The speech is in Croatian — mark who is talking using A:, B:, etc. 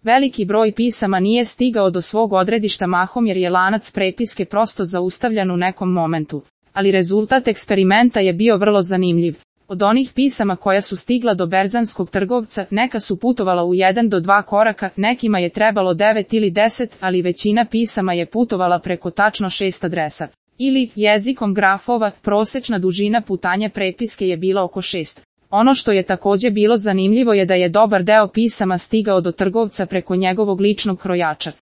A: Veliki broj pisama nije stigao do svog odredišta mahom jer je lanac prepiske prosto zaustavljan u nekom momentu. Ali rezultat eksperimenta je bio vrlo zanimljiv. Od onih pisama koja su stigla do berzanskog trgovca, neka su putovala u 1 do 2 koraka, nekima je trebalo 9 ili 10, ali većina pisama je putovala preko tačno 6 adresa. Ili, jezikom grafova, prosečna dužina putanja prepiske je bila oko 6. Ono što je također bilo zanimljivo je da je dobar deo pisama stigao do trgovca preko njegovog ličnog krojača.